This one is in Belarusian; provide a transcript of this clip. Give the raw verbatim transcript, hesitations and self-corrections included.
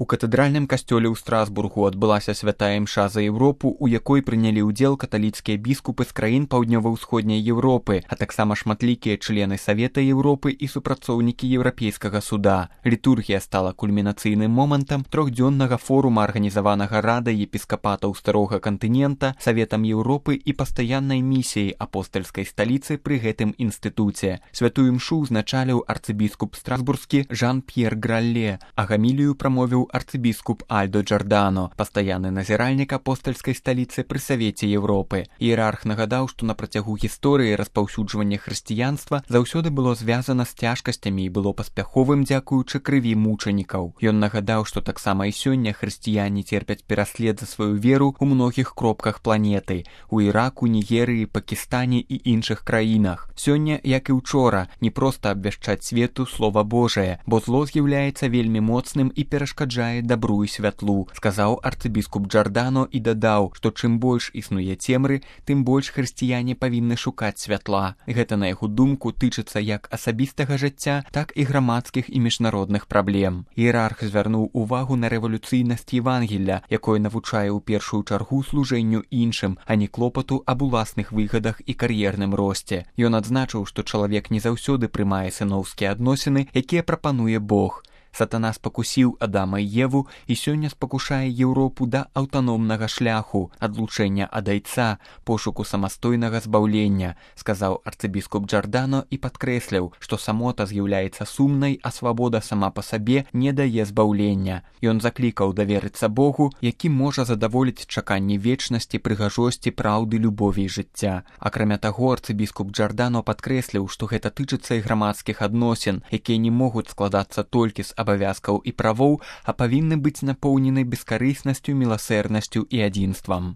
У катэдральным касцёле ў Страсбургу адбылася святая імша за Еўропу, у якой прынялі ўдзел каталіцкія біскупы з краін паўднёва-ўсходняй Еўропы, а таксама шматлікія члены Савета Еўропы і супрацоўнікі Еўрапейскага суда. Літургія стала кульмінацыйным момантам трохдзённага форума, арганізаванага Радай епіскапатаў Старога кантынента, Саветам Еўропы і пастаяннай місіяй апостальскай сталіцы пры гэтым інстытуце. Святую імшу ўзначаліў арцыбіскуп страсбургскі Жан-П'ер Гралле, а гамілію прамовіў арцыбіскуп Альдо Джордано, пастаянны назіральнік апостальскай сталіцы пры Савеце Еўропы. Іерарх нагадаў, што на працягу гісторыі распаўсюджвання хрысціянства заўсёды было звязана з цяжкасцямі і было паспяховым дзякуючы крыві мучанікаў. Ён нагадаў, што таксама і сёння хрысціяне церпяць пераслед за сваю веру ў многіх кропках планеты – у Іраку, Нігерыі, Пакістане і іншых краінах. Сёння, як і ўчора, не проста абвяшчаць свету слова Божае, бо зло з'яўляецца вельмі моцным і перашкаджае дабру і святлу, сказаў арцыбіскуп Джордано і дадаў, што чым больш існуе цемры, тым больш хрысціяне павінны шукаць святла. Гэта, на яго думку, тычыцца як асабістага жыцця, так і грамадскіх і міжнародных праблем. Іерарх звярнуў увагу на рэвалюцыйнасць Евангелля, якое навучае ў першую чаргу служэнню іншым, а не клопату аб уласных выгадах і кар'ерным росце. Ён адзначыў, што чалавек не заўсёды прымае сыноўскія адносіны, якія прапануе Бог. Сатана спакусіў Адама і Еву і сёння спакушае Еўропу да аўтаномнага шляху, адлучэння ад айца, пошуку самастойнага збаўлення, сказаў арцыбіскуп Джордано і падкрэсліў, што самота з'яўляецца сумнай, а свабода сама па сабе не дае збаўлення. Ён заклікаў даверыцца Богу, які можа задаволіць чаканні вечнасці, прыгажосці, праўды, любові і жыцця. Акрамя таго, арцыбіскуп Джордано падкрэсліў, што гэта тычыцца і грамадскіх адносін, якія не могуць складацца толькі з абавязкаў і правоў, а павінны быць напоўнены бескарыснасцю, міласэрнасцю і адзінствам.